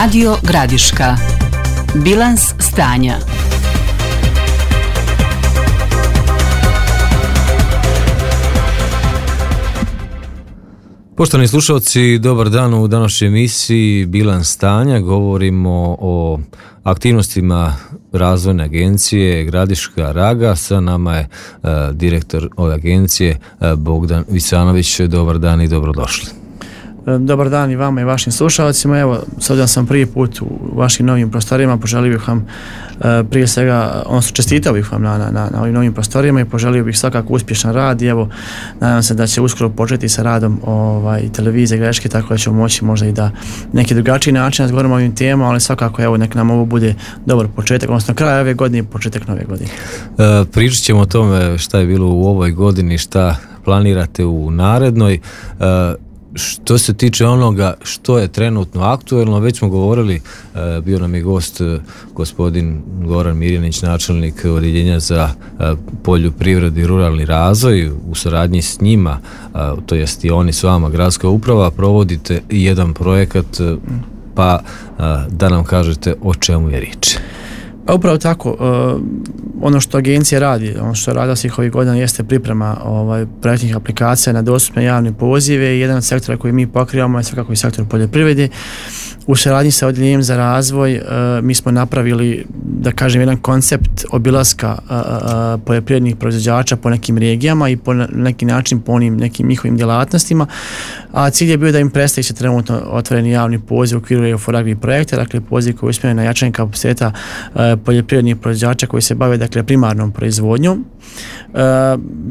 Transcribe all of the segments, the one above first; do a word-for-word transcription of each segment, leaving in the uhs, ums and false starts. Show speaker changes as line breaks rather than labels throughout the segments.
Radio Gradiška. Bilans stanja.
Poštovani slušalci, dobar dan. U današnjoj emisiji Bilans stanja govorimo o aktivnostima razvojne agencije Gradiška Raga. Sa nama je uh, direktor ove agencije uh, Bogdan Vicanović. Dobar dan i dobrodošli.
Dobar dan i vama i vašim slušalcima. Evo, s obzirom sam prvi put u vašim novim prostorima, poželio bih vam e, prije svega, odnosno čestitao bih vam na, na, na ovim novim prostorima i poželio bih svakako uspješan rad i evo, nadam se da će uskoro početi sa radom ovaj, televizije Gradiške, tako da ćemo moći možda i da neki drugačiji način razgovaramo o ovim temama, ali svakako evo, nek nam ovo bude dobar početak, odnosno kraj ove godine i početak nove godine.
E, pričat ćemo o tome šta je bilo u ovoj godini, šta planirate u narednoj. E, Što se tiče onoga što je trenutno aktuelno, već smo govorili, bio nam je gost gospodin Goran Mirjanić, načelnik Odjeljenja za poljoprivredu i ruralni razvoj. U saradnji s njima, to jest i oni s vama, gradska uprava, provodite jedan projekat, pa da nam kažete o čemu je riječ.
Pa upravo tako, uh, ono što agencija radi, ono što je radila svih ovih godina jeste priprema ovaj, projektnih aplikacija na dostupne javne pozive i jedan od sektora koji mi pokrivamo je svakako i sektor poljoprivrede. U saradnji sa Odjeljenjem za razvoj uh, mi smo napravili, da kažem, jedan koncept obilaska uh, uh, poljoprivrednih proizvođača po nekim regijama i po neki način po onim nekim njihovim djelatnostima, a cilj je bio da im predstavi se trenutno otvoreni javni poziv u okviru E U FOR-AGRI projekta, dakle poziv koji je usmjeren na jačanje kapaciteta uh, poljoprivrednih proizvođača koji se bave, dakle, primarnom proizvodnjom. Uh,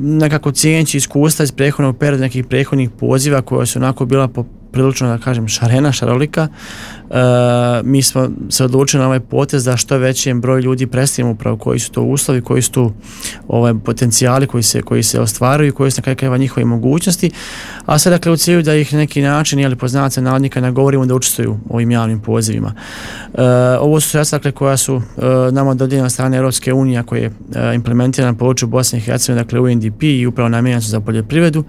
nekako cijeneći iskustva iz prethodnog perioda, nekih prethodnih poziva koja su onako bila po prilično, da kažem, šarena, šarolika. E, mi smo se odlučili na ovaj potez da što većem broj ljudi predstavimo upravo koji su to uslovi, koji su tu ovaj, potencijali koji se, koji se ostvaruju i koji su na kraju krajeva njihove mogućnosti, a sad, dakle, u cilju da ih na neki način, jeli, poznavaca navodnika, nagovorimo da učestvuju u ovim javnim pozivima. E, ovo su sredstva, dakle, koja su e, nama dodijeljena od strane Europske unije, koja je e, implementirana na području Bosne i Hercegovine, dakle U N D P i upravo namijenjena su za poljoprivredu.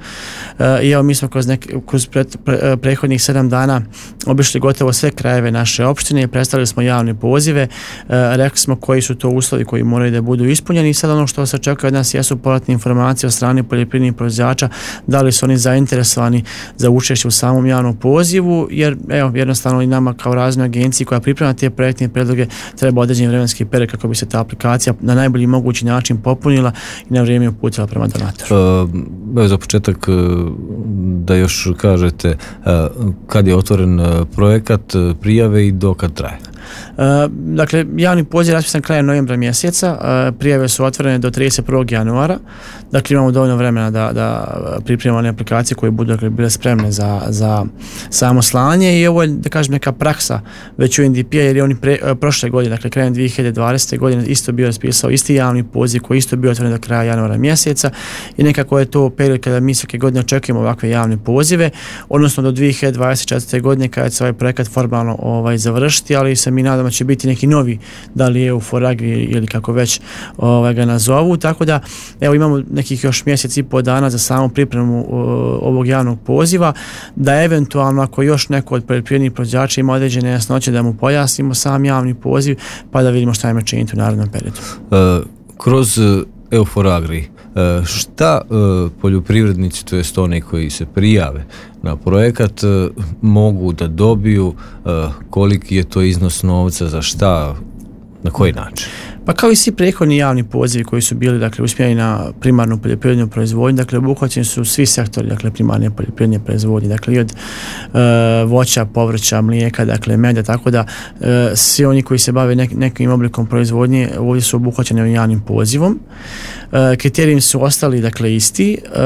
E, I evo, mi smo kroz, nek, kroz pre, pre, pre prethodnih sedam dana obišli gotovo sve krajeve naše opštine i predstavili smo javne pozive, e, rekli smo koji su to uslovi koji moraju da budu ispunjeni i sad ono što se očekuje od nas jesu povratne informacije od strane poljoprivrednih proizvođača, da li su oni zainteresovani za učešće u samom javnom pozivu, jer evo, jednostavno i nama kao razvojnoj agenciji koja priprema te projektne predloge treba određeni vremenski period kako bi se ta aplikacija na najbolji mogući način popunila i na vrijeme uputila prema donatoru.
Evo, za početak da još kažete kad je otvoren projekat, prijave i do kad traje?
Uh, dakle, javni poziv je raspisan krajem novembra mjeseca, uh, prijave su otvorene do trideset prvog januara, dakle imamo dovoljno vremena da, da pripremimo one aplikacije koje budu, dakle, bile spremne za, za samo slanje i ovo je, da kažem, neka praksa već u N D P-a, jer je oni pre, uh, prošle godine, dakle krajem dvije hiljade dvadesete godine isto bio raspisao isti javni poziv koji isto bio otvoren do kraja januara mjeseca i nekako je to period kada mi svake godine očekujemo ovakve javne pozive, odnosno do dvije hiljade dvadeset četvrte godine kada će se ovaj projekat formalno ovaj, završiti, ali se mi nadamo će biti neki novi, da li E U FOR-AGRI ili kako već ovaj, ga nazovu, tako da evo imamo nekih još mjesec i pol dana za samu pripremu uh, ovog javnog poziva, da eventualno ako još neko od poljoprivrednih proizvođača ima određene jasnoće da mu pojasnimo sam javni poziv pa da vidimo šta ima činiti u narednom periodu.
Uh, kroz E U FOR-AGRI uh, šta uh, poljoprivrednici, to jest oni koji se prijave na projekat, uh, mogu da dobiju, uh, koliki je to iznos novca, za šta, na koji način?
Pa kao i svi prethodni javni pozivi koji su bili, dakle, usmjereni na primarnu poljoprivrednu proizvodnju, dakle obuhvaćeni su svi sektori, dakle, primarne poljoprivredne proizvodnje, dakle i od e, voća, povrća, mlijeka, dakle meda, tako da e, svi oni koji se bave nek, nekim oblikom proizvodnje ovdje su obuhvaćeni ovim javnim pozivom. E, kriteriji su ostali, dakle, isti. E,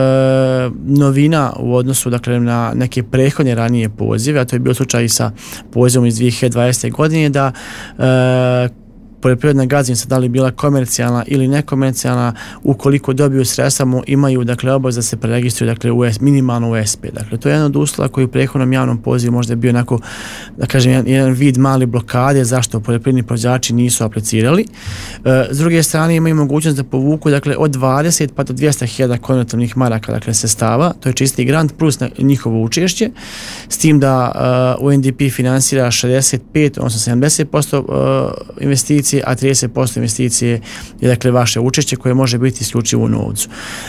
novina u odnosu, dakle, na neke prethodne ranije pozive, a to je bio slučaj i sa pozivom iz dvije hiljade dvadesete godine, da e, poljoprivredna gazdinstva, da li bila komercijalna ili nekomercijalna, ukoliko dobiju sredstva, imaju dakle obavez da se preregistruju dakle u minimalno u S P. Dakle, to je jedan od uslova koji u prethodnom javnom pozivu možda je bio onako, da kažem, jedan, jedan vid mali blokade zašto poljoprivredni proizvođači nisu aplicirali. E, s druge strane imaju mogućnost da povuku dakle od dvadeset pa do dvjesto hiljada konvertibilnih maraka dakle sredstava, to je čisti grant plus na njihovo učešće, s tim da uh, U N D P finansira šezdeset pet, odnosno sedamdeset posto uh, investicije, a trideset posto investicije je dakle vaše učešće koje može biti isključivo u novcu.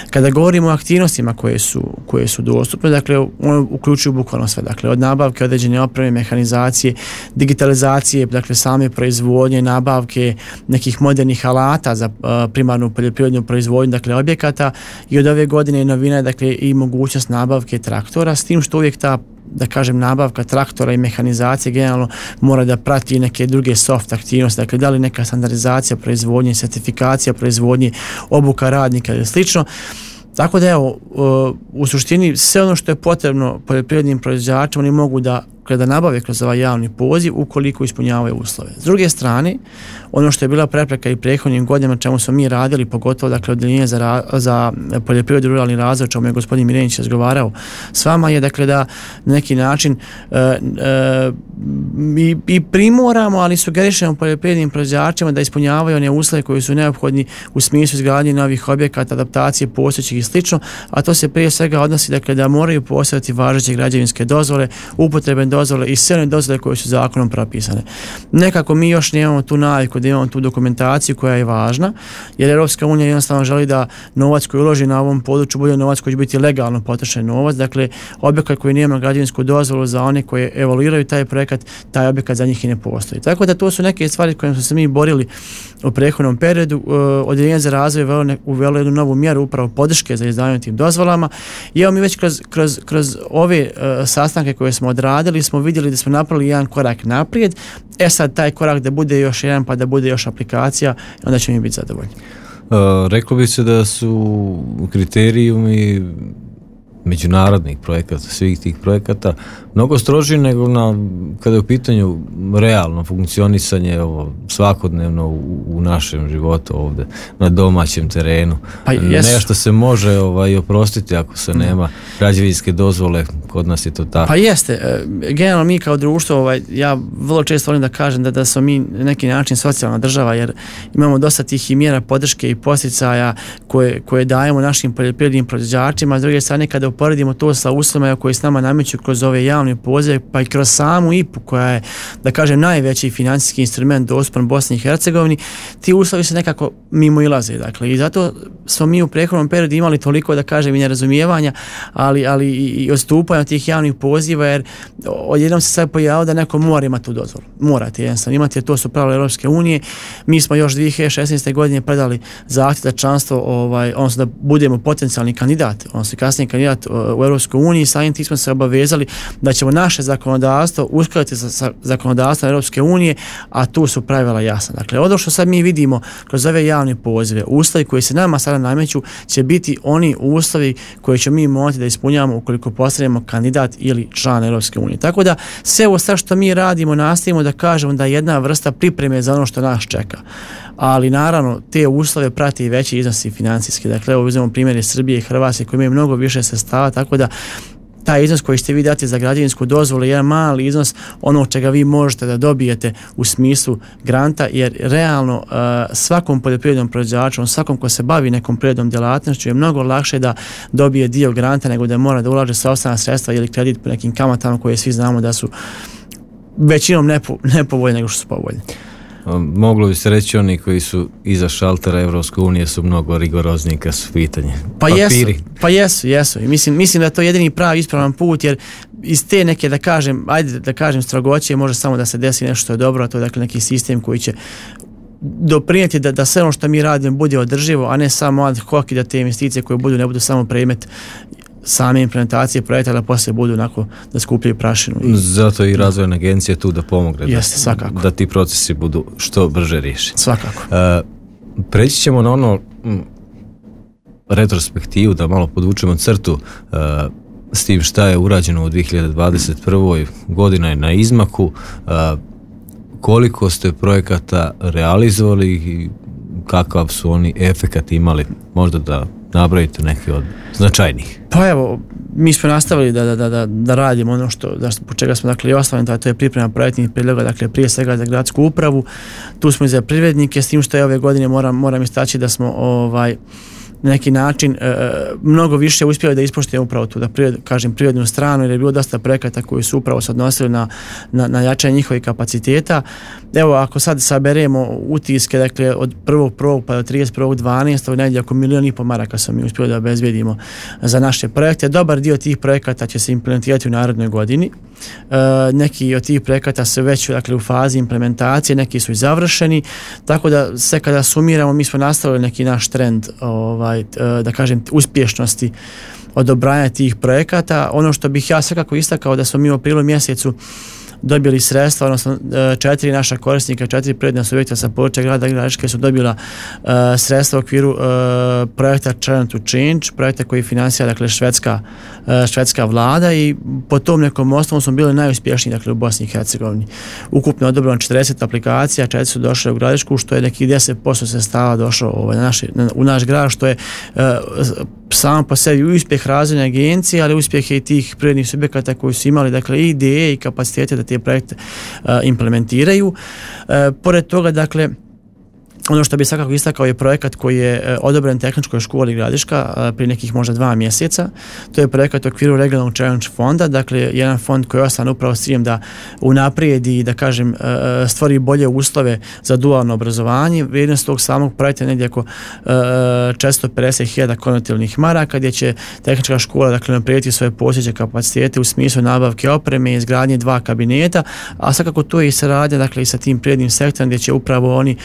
Kada govorimo o aktivnostima koje su, koje su dostupne, dakle ono uključuju bukvalno sve, dakle od nabavke određene opreme, mehanizacije, digitalizacije, dakle same proizvodnje, nabavke nekih modernih alata za uh, primarnu poljoprivrednu proizvodnju, dakle objekata, i od ove godine je novina dakle i mogućnost nabavke traktora, s tim što uvijek ta, da kažem, nabavka traktora i mehanizacije generalno mora da prati neke druge soft aktivnosti, dakle da li neka standardizacija proizvodnje, sertifikacija proizvodnje, obuka radnika ili slično. Tako da evo, u suštini sve ono što je potrebno poljoprivrednim proizvođačima oni mogu da kada nabave kroz ovaj javni poziv ukoliko ispunjavaju uslove. S druge strane, ono što je bila prepreka i prethodnim godinama čemu smo mi radili, pogotovo dakle odeljenje za, za poljoprivredu i ruralni razvoj, o čemu je gospodin Mirenić razgovarao s vama, je dakle da na neki način e, e, i, i primoramo, ali sugerišemo poljoprivrednim proizvođačima da ispunjavaju one uslove koji su neophodni u smislu izgradnje novih objekata, adaptacije postojećih i slično, a to se prije svega odnosi dakle da moraju postojati važeće građevinske dozvole, upotrebne dozvole i sve one dozvole koje su zakonom propisane. Nekako mi još nemamo tu naviku da imamo tu dokumentaciju koja je važna, jer Europska unija jednostavno želi da novac koji uloži na ovom području bude novac koji će biti legalno potrošen novac, dakle objekat koji nema građevinsku dozvolu za one koje evaluiraju taj projekat, taj objekat za njih i ne postoji. Tako da to su neke stvari kojim smo se mi borili u prethodnom periodu. Odeljenje za razvoj je uvelo jednu novu mjeru upravo podrške za izdavanje tim dozvolama i evo mi već kroz, kroz, kroz ove uh, sastanke koje smo odradili smo vidjeli da smo napravili jedan korak naprijed. E sad taj korak da bude još jedan pa da bude još aplikacija, onda ćemo mi biti zadovoljni.
Uh, reklo bi se da su kriterijumi međunarodnih projekata, svih tih projekata mnogo stroži nego na, kada je u pitanju realno funkcionisanje ovo, svakodnevno u, u našem životu ovdje, na domaćem terenu. Pa nešto se može ovaj, oprostiti ako se nema građevinske dozvole, kod nas je to tako.
Pa jeste, generalno mi kao društvo, ovaj, ja vrlo često volim da kažem da, da smo mi na neki način socijalna država, jer imamo dosta tih i mjera podrške i posticaja koje, koje dajemo našim poljoprivrednim proizvođačima, a s druge strane kada uporedimo to sa uslovima koji s nama nameću kroz ove javne pozive, pa i kroz samu I P U koja je, da kažem, najveći financijski instrument dostupan Bosni i Hercegovini, ti uslovi se nekako mimo ilaze. Dakle, i zato smo mi u prethodnom periodu imali toliko, da kažem, i nerazumijevanja, ali, ali i odstupanja od tih javnih poziva, jer odjednom se sad pojavilo da neko mora imati tu dozvolu. Morate jednostavno imati, jer to su pravila Europske unije. Mi smo još dvije hiljade šesnaeste. godine predali zahtjev za članstvo, ovaj, odnosno da budemo potencijalni kandidat, odnosno kasnije kandidat u Europskoj uniji, samim tim smo se obavezali da ćemo naše zakonodavstvo uskladiti sa, sa zakonodavstvom Europske unije, a tu su pravila jasna. Dakle, ono što sad mi vidimo kroz ove javne pozive, uslovi koji se nama sada nameću će biti oni uslovi koje ćemo mi morati da ispunjavamo ukoliko postanemo kandidat ili član Europske unije. Tako da sve ovo što mi radimo, nastavimo da kažemo da je jedna vrsta pripreme za ono što nas čeka. Ali naravno te uslove prati i veći iznosi financijski. Dakle, evo uzmemo primjere Srbije i Hrvatske koji imaju mnogo više sredstava, tako da taj iznos koji ćete vi dati za građevinsku dozvolu je jedan mali iznos onog čega vi možete da dobijete u smislu granta, jer realno uh, svakom poljoprivrednom proizvođaču, svakom ko se bavi nekom privrednom djelatnošću je mnogo lakše da dobije dio granta nego da mora da ulaže sopstvena sredstva ili kredit po nekim kamatama koje svi znamo da su većinom nepo, nepovoljne nego što su povoljne.
Moglo bi se reći oni koji su iza šaltera Evropske unije su mnogo rigorozniji kad su pitanje.
Pa jesu, pa jesu, jesu. I mislim, mislim da je to jedini pravi ispravan put, jer iz te neke, da kažem, ajde da kažem strogoće, može samo da se desi nešto što je dobro, a to je dakle neki sistem koji će doprinijeti da, da sve ono što mi radimo bude održivo, a ne samo ad hoc i da te investicije koje budu ne budu samo predmet same implementacije projekta, da poslije budu onako da skupljaju prašinu. I...
Zato i razvojna agencija tu da pomogne.
Jeste, svakako.
Da ti procesi budu što brže riješeni.
Svakako.
Uh, preći ćemo na ono m, retrospektivu, da malo podvučemo crtu uh, s tim šta je urađeno u dvije hiljade dvadeset prvoj. Godina je na izmaku. Uh, koliko ste projekata realizovali i kakav su oni efekat imali, možda da nabrojite neki od značajnih?
Pa evo, mi smo nastavili da, da, da, da radimo ono što, da, po čega smo dakle i osnovni, a to je priprema projektnih prijedloga, dakle prije svega za gradsku upravu, tu smo i za privrednike, s tim što je ove godine moram, moram istaći da smo ovaj na neki način e, mnogo više uspjeli da ispoštujemo upravo tu, da privred, kažem privrednu stranu, jer je bilo dosta projekata koji su upravo se odnosili na, na, na jačanje njihovih kapaciteta. Evo, ako sad saberemo utiske, dakle od prvog prvog pa do trideset prvog dvanaestog negdje oko milijon i pol maraka smo mi uspjeli da obezbijedimo za naše projekte. Dobar dio tih projekata će se implementirati u narednoj godini. E, neki od tih projekata su već dakle, u fazi implementacije, neki su i završeni, tako da sve kada sumiramo mi smo nastavili neki naš trend ovaj, da kažem uspješnosti odobranja tih projekata. Ono što bih ja svakako istakao da smo mi u aprilu mjesecu dobili sredstva, odnosno četiri naša korisnika, četiri privredna subjekta sa područja grada Gradiške su dobila uh, sredstva u okviru uh, projekta Challenge to Change, projekta koji finansira dakle švedska, uh, švedska vlada i po tom nekom osnovu smo bili najuspješniji dakle u Bosni i Hercegovini. Ukupno odobrano četrdeset aplikacija, četiri su došle u Gradišku, što je nekih deset posto sredstava došlo ovaj, na naši, na, u naš grad, što je uh, samo po sebi uspjeh razvojne agencije, ali uspjeh je i tih privrednih subjekata koji su imali dakle i ideje i kapacitete da te projekte uh, implementiraju. Uh, pored toga, dakle, ono što bi svakako istakao je projekat koji je odobren Tehničkoj školi Gradiška prije nekih možda dva mjeseca. To je projekat u okviru regionalnog challenge fonda, dakle jedan fond koji je osnovan upravo s ciljem da unaprijedi i da kažem stvori bolje uslove za dualno obrazovanje. Vrijednost tog samog projekta je negdje oko četiristo pedeset hiljada konvertibilnih maraka, gdje će Tehnička škola dakle unaprijediti svoje postojeće kapacitete u smislu nabavke opreme i izgradnje dva kabineta, a svakako to je i saradnja dakle i sa tim prirodnim sektorom gdje će upravo oni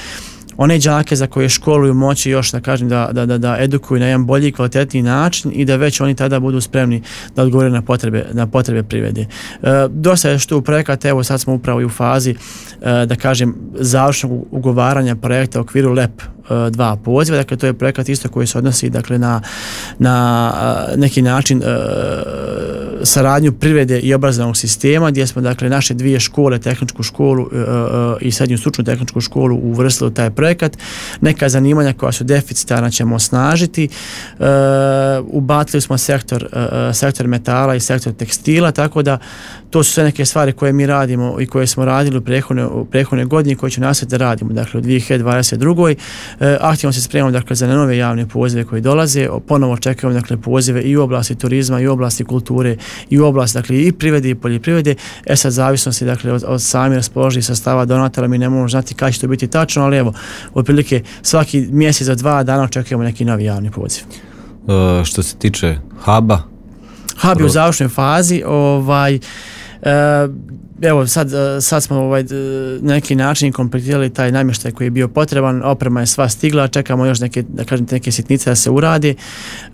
one đake za koje školuju moći još da kažem da, da, da, da edukuju na jedan bolji i kvalitetniji način i da već oni tada budu spremni da odgovore na potrebe, na potrebe privrede. E, dosta je što u projekat, evo sad smo upravo i u fazi e, da kažem završnog ugovaranja projekta u okviru L E P dva poziva, dakle to je projekat isto koji se odnosi dakle na, na neki način e, saradnju privrede i obrazovnog sistema, gdje smo dakle naše dvije škole, tehničku školu e, e, i srednju stručnu tehničku školu uvrstili u taj projekat. Neka zanimanja koja su deficitarna ćemo osnažiti. E, ubacili smo sektor, e, sektor metala i sektor tekstila, tako da to su sve neke stvari koje mi radimo i koje smo radili u prethodnoj, u prethodnoj godini, koje ću nastaviti da radimo dakle u dvije hiljade dvadeset druge. E, aktivno se spremamo dakle za nove javne pozive koji dolaze, ponovo čekamo dakle pozive i u oblasti turizma i u oblasti kulture i u oblasti dakle i privrede i poljoprivrede. E sad zavisnosti dakle od, od samih raspoloživih sastava donatora mi ne možemo znati kada će to biti tačno, ali evo otprilike svaki mjesec za dva dana očekujemo neki novi javni poziv.
E, što se tiče huba,
hub je u završnoj fazi, ovaj e, evo sad, sad smo ovaj, na neki način kompletirali taj namještaj koji je bio potreban, oprema je sva stigla, čekamo još neke, da kažem, neke sitnice da se uradi.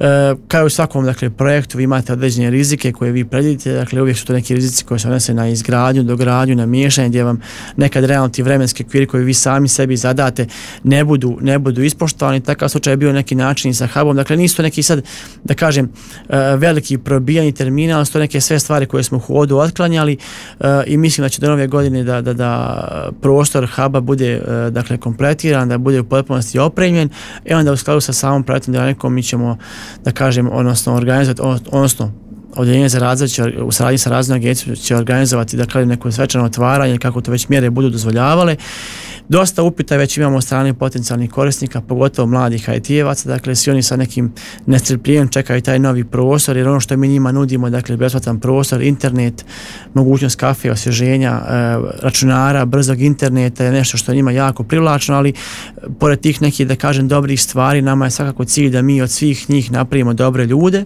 E, kao i u svakom dakle, projektu vi imate određene rizike koje vi predvidite, dakle uvijek su to neki rizici koji se odnose na izgradnju, dogradnju, na miješanje, gdje vam nekad realno ti vremenski okviri koji vi sami sebi zadate ne budu, ne budu ispoštovani. Takav slučaj je bio neki način i sa hubom, dakle nisu to neki sad, da kažem, veliki probijani termina, ali su to neke sve stvari koje smo u hodu otklanjali i mislim da će do nove godine da, da, da prostor huba bude dakle kompletiran, da bude u potpunosti opremljen i onda u skladu sa samom projektnom dinamikom mi ćemo da kažem odnosno organizovati, odnosno Odjeljenje za razvoj će u saradnji sa razvojnom agencijom će organizovati dakle neko svečano otvaranje kako to već mjere budu dozvoljavale. Dosta upita već imamo od strane potencijalnih korisnika, pogotovo mladih I T-evaca, dakle svi oni sa nekim nestrpljenjem čekaju taj novi prostor, jer ono što mi njima nudimo, dakle besplatan prostor, internet, mogućnost kafe, osvježenja, računara, brzog interneta je nešto što je njima jako privlačno, ali pored tih nekih, da kažem, dobrih stvari, nama je svakako cilj da mi od svih njih napravimo dobre ljude,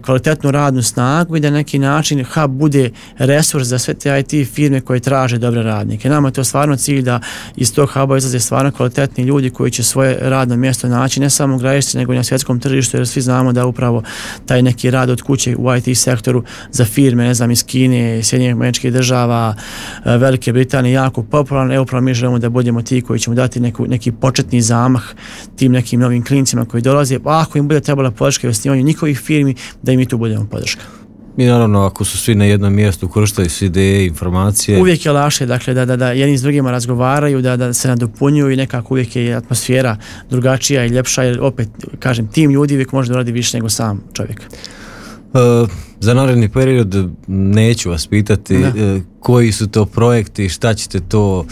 kvalitetnu radnu snagu i da na neki način hub bude resurs za sve te I T firme koje traže dobre radnike. Nama je to stvarno cilj da iz tog huba izlaze stvarno kvalitetni ljudi koji će svoje radno mjesto naći ne samo u Gradišci nego i na svjetskom tržištu, jer svi znamo da upravo taj neki rad od kuće u I T sektoru za firme, ne znam, iz Kine, Sjedinjenih Američkih Država, Velike Britanije jako popularan. Evo upravo mi želimo da budemo ti koji ćemo dati neku, neki početni zamah tim nekim novim klincima koji dolaze. A ako im bude trebala podrška i osnivanju njihovih firmi, da i mi tu budemo podrška.
I naravno, ako su svi na jednom mjestu, koristaju se ideje, informacije.
Uvijek je lakše, dakle, da, da, da jedni s drugima razgovaraju, da, da se nadopunjuju i nekako uvijek je atmosfera drugačija i ljepša, jer opet, kažem, tim ljudi uvijek može da radi više nego sam čovjek.
Uh, za naredni period neću vas pitati uh, koji su to projekti, šta ćete to uh,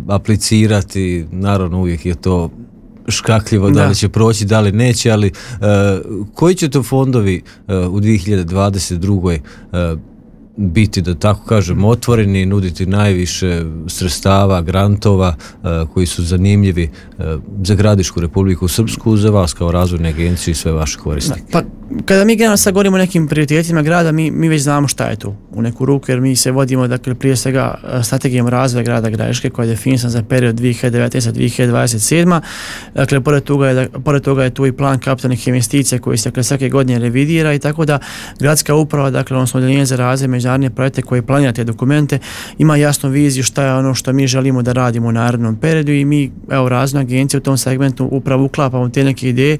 aplicirati, naravno uvijek je to škakljivo, da. da li će proći, da li neće, ali uh, koji će to fondovi uh, u dvije hiljade dvadeset druge Uh, biti, da tako kažem, otvoreni i nuditi najviše sredstava, grantova uh, koji su zanimljivi uh, za Gradišku Republiku Srpsku, za vas kao razvojne agencije i sve vaše korisnike?
Pa, kada mi generalno sad govorimo o nekim prioritetima grada, mi, mi već znamo šta je tu u neku ruku, jer mi se vodimo, dakle, prije svega strategijom razvoja grada Gradiške koja je definisana za period dvije hiljade devetnaeste do dvije hiljade dvadeset sedme. Dakle, pored toga je, pored toga je tu i plan kapitalnih investicija koji se, dakle, svake godine revidira i tako da gradska uprava, dakle, odnosno odeljenje za razvoj međunarodne projekte koje planira te dokumente, ima jasnu viziju šta je ono što mi želimo da radimo u narednom periodu i mi, evo, razvojna agencija u tom segmentu upravo uklapamo te neke ideje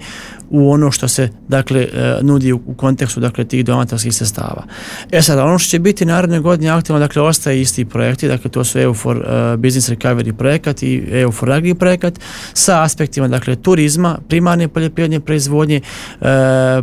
u ono što se, dakle, nudi u kontekstu, dakle, tih donatorskih sredstava. E sad, ono što će biti naredne godine aktivno, dakle, ostaje isti projekti, dakle, to su E U for uh, Business Recovery projekat i E U for Agri projekat sa aspektima, dakle, turizma, primarne poljoprivredne proizvodnje, uh,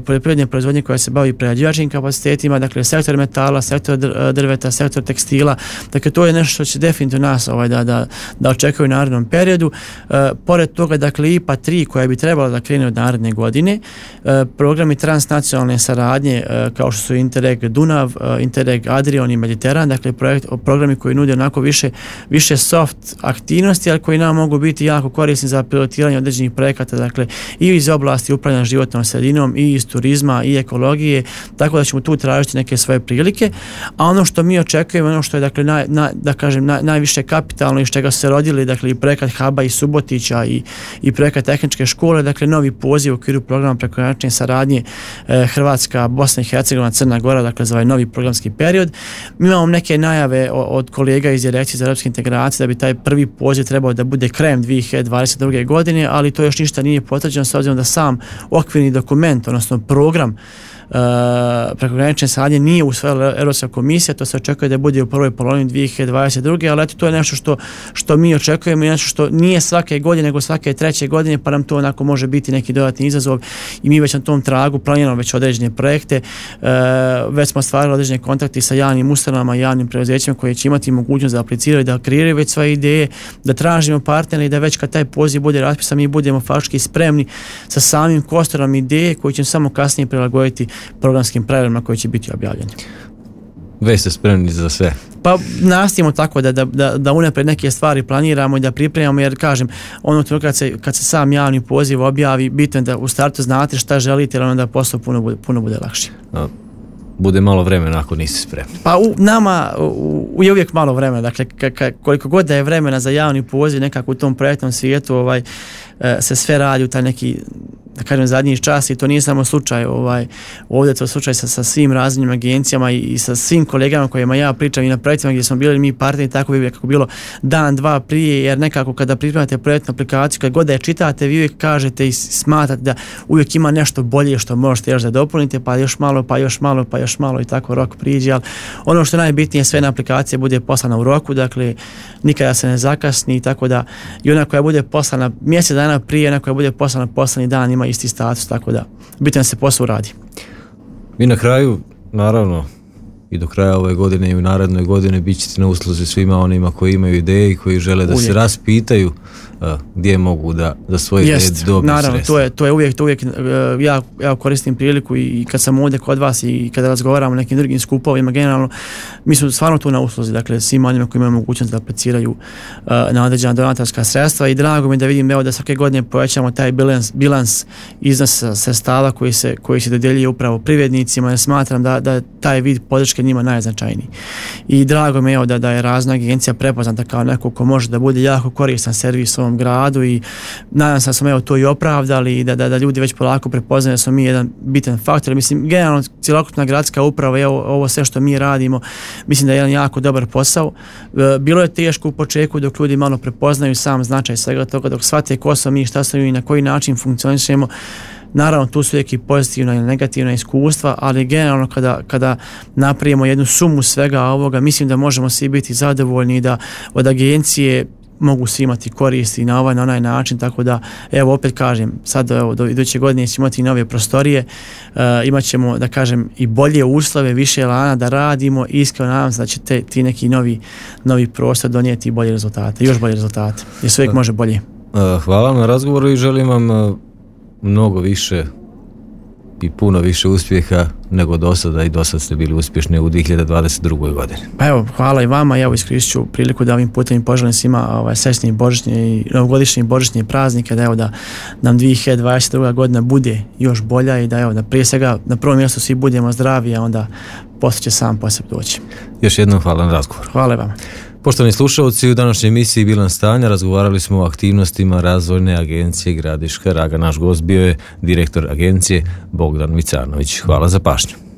poljoprivredne proizvodnje koja se bavi prerađivačkim kapacitetima, dakle, sektor metala, sektor drveta, sektor tekstila, dakle, to je nešto što će definitivno nas ovaj, da, da, da očekuju u narednom periodu. Uh, pored toga, dakle, I P A tri koja bi trebala da krene od naredne godine, uh, programi transnacionalne saradnje uh, kao što su Interreg Dunav, uh, Interreg Adrion i Mediteran, dakle, projekt, programi koji nude onako više, više soft aktivnosti, ali koji nam mogu biti jako korisni za pilotiranje određenih projekata, dakle, i iz oblasti upravljanja životnom sredinom, i iz turizma, i ekologije, tako da ćemo tu tražiti neke svoje prilike, a ono što mi očekujemo, ono što je, dakle, naj, naj, da kažem, naj, najviše kapitalno iz čega su se rodili, dakle, i projekat Haba i Subotića i, i projekat tehničke škole, dakle, novi poziv u okviru programa prekogranične saradnje eh, Hrvatska, Bosna i Hercegovina, Crna Gora, dakle, za ovaj novi programski period. Mi imamo neke najave od kolega iz Direkcije za europske integracije da bi taj prvi poziv trebao da bude krajem dvije hiljade dvadeset druge godine, ali to još ništa nije potvrđeno s obzirom da sam okvirni dokument, odnosno program Uh, prekogranične saradnje nije usvojila Europska komisija, to se očekuje da bude u prvoj polovini dvije hiljade dvadeset druge ali eto, to je nešto što, što mi očekujemo i nešto što nije svake godine nego svake treće godine, pa nam to onako može biti neki dodatni izazov i mi već na tom tragu planiramo već određene projekte, uh, već smo stvarili određene kontakte sa javnim ustanovama i javnim preduzećima koji će imati mogućnost da apliciraju, da kreiraju već svoje ideje, da tražimo partnere i da već kad taj poziv bude raspisan mi budemo faktički spremni sa samim kostorom ideje koji će samo kasnije prilagoditi programskim pravilima koji će biti objavljeni.
Već ste spremni za sve?
Pa nastojimo tako da, da, da, da unaprijed neke stvari planiramo i da pripremamo, jer kažem, ono kad se, kad se sam javni poziv objavi, bitno je da u startu znate šta želite, jer onda posao puno bude, puno bude lakše.
A, bude malo vremena ako nisi spremni.
Pa u nama u, je uvijek malo vremena, dakle ka, ka, koliko god da je vremena za javni poziv nekako u tom projektnom svijetu ovaj, se sve radi u taj neki, da kažem, zadnji čas i to nije samo slučaj ovaj, ovdje to je slučaj sa, sa svim raznim agencijama i, i sa svim kolegama kojima ja pričam i na projektima gdje smo bili mi partneri, tako bi kako bilo dan, dva prije, jer nekako kada pripremate projektnu aplikaciju, kad god da je čitate, vi uvijek kažete i smatrate da uvijek ima nešto bolje što možete još da dopunite, pa još malo, pa još malo, pa još malo i tako rok priđe, ali ono što je najbitnije, sve na aplikacije bude poslana u roku, dakle nikada se ne zakasni, tako da i ona koja bude poslana mjesec dana prije, ona koja bude poslana poslani dan ima isti status, tako da bitno da se posao radi.
Mi na kraju, naravno, i do kraja ove godine i u narednoj godine bit ćete na usluzi svima onima koji imaju ideje i koji žele da uvijek se raspitaju uh, gdje mogu da, da svoje ideje dobiju
naravno,
sredstva.
to je, to je uvijek, to uvijek uh, ja, ja koristim priliku i, i kad sam ovdje kod vas i kada razgovaramo o nekim drugim skupovima, generalno, mi smo stvarno tu na usluzi, dakle, svima onima koji imaju mogućnost da apliciraju uh, na određena donatorska sredstva i drago mi da vidim evo da svake godine povećamo taj bilans, bilans iznosa sredstava koji se, koji se dodjeljuje upravo privrednicima, jer smatram da, da taj vid podrške njima najznačajniji. I drago mi je da, da je razna agencija prepoznata kao neko ko može da bude jako koristan servis ovom gradu i nadam se da smo evo to i opravdali i da, da, da ljudi već polako prepoznaju da smo mi jedan bitan faktor. Mislim, generalno cjelokupna gradska uprava i ovo, ovo sve što mi radimo, mislim da je jedan jako dobar posao. Bilo je teško u početku dok ljudi malo prepoznaju sam značaj svega toga, dok shvate ko smo mi, šta smo mi i na koji način funkcionišemo. Naravno, tu su uvijek i pozitivna i negativna iskustva, ali generalno kada, kada napravimo jednu sumu svega ovoga, mislim da možemo svi biti zadovoljni i da od agencije mogu svi imati koristi na ovaj, na onaj način, tako da, evo, opet kažem, sad, evo, do iduće godine ćemo imati nove prostorije, uh, imat ćemo, da kažem, i bolje uslove, više elana da radimo i iskreno nadam se da će te, ti neki novi, novi prostor donijeti i bolje rezultate, još bolje rezultate, jer se uvijek može bolje.
Hvala vam na razgovoru i želim vam mnogo više i puno više uspjeha nego do sada i do sada ste bili uspješni u dvije hiljade dvadeset druge godini.
Pa evo, hvala i vama, ja iskoristit ću priliku da ovim putem poželim svima ovaj, srećne i božićne i novogodišnje i božićne praznike, da evo da nam dvije hiljade dvadeset druga godina bude još bolja i da evo da prije svega na prvom mjestu svi budemo zdravi, a onda posle će sam po sebi doći.
Još jednom hvala na razgovor.
Hvala vam.
Poštovani slušalci, u današnjoj emisiji Bilans stanja razgovarali smo o aktivnostima Razvojne agencije Gradiška Raga. Naš gost bio je direktor agencije Bogdan Vicanović. Hvala za pažnju.